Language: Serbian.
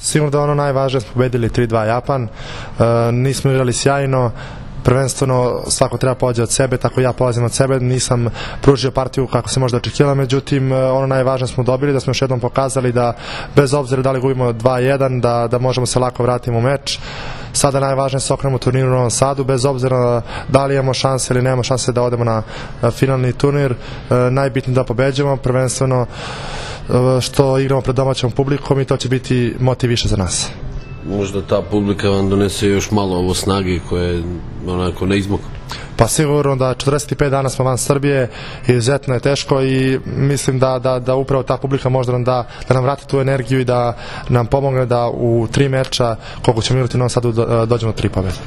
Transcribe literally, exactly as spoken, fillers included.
Sigurno da je ono najvažnije, smo pobedili tri dva Japan, e, nismo igrali sjajno, prvenstveno svako treba pođe od sebe, tako ja polazim od sebe, nisam pružio partiju kako se možda očekivalo, međutim ono najvažnije smo dobili, da smo još jednom pokazali da bez obzira da li gubimo dva jedan, da, da možemo se lako vratiti u meč. Sada najvažnije se okrenemo turniru u Novom Sadu, bez obzira da li imamo šanse ili nemamo šanse da odemo na finalni turnir, najbitnije da pobeđujemo, prvenstveno što igramo pred domaćom publikom i to će biti motiv više za nas. Možda ta publika vam donese još malo ovo snage koje je onako neizmog? Pa sigurno da četrdeset pet dana smo van Srbije, izuzetno je teško i mislim da, da, da upravo ta publika možda nam da, da nam vrati tu energiju i da nam pomogne da u tri meča koliko ćemo igrati u Novom Sadu dođemo do tri pobjede.